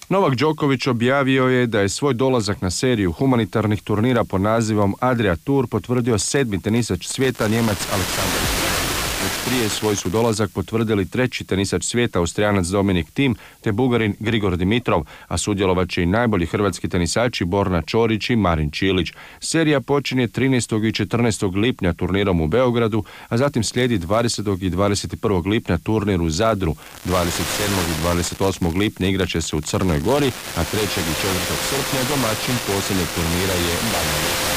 Novak Đoković objavio je da je svoj dolazak na seriju humanitarnih turnira pod nazivom Adria Tour potvrdio 7. tenisač svijeta, Njemac Aleksandar Zverev. Već prije svoj su dolazak potvrdili 3. tenisač svijeta, Austrijanac Dominik Thiem te Bugarin Grigor Dimitrov, a sudjelovat će i najbolji hrvatski tenisači Borna Ćorić i Marin Čilić. Serija počinje 13. i 14. lipnja turnirom u Beogradu, a zatim slijedi 20. i 21. lipnja turnir u Zadru. 27. i 28. lipnja igraće se u Crnoj Gori, a 3. i 4. srpnja domaćin posljednjeg turnira je Banja Luka.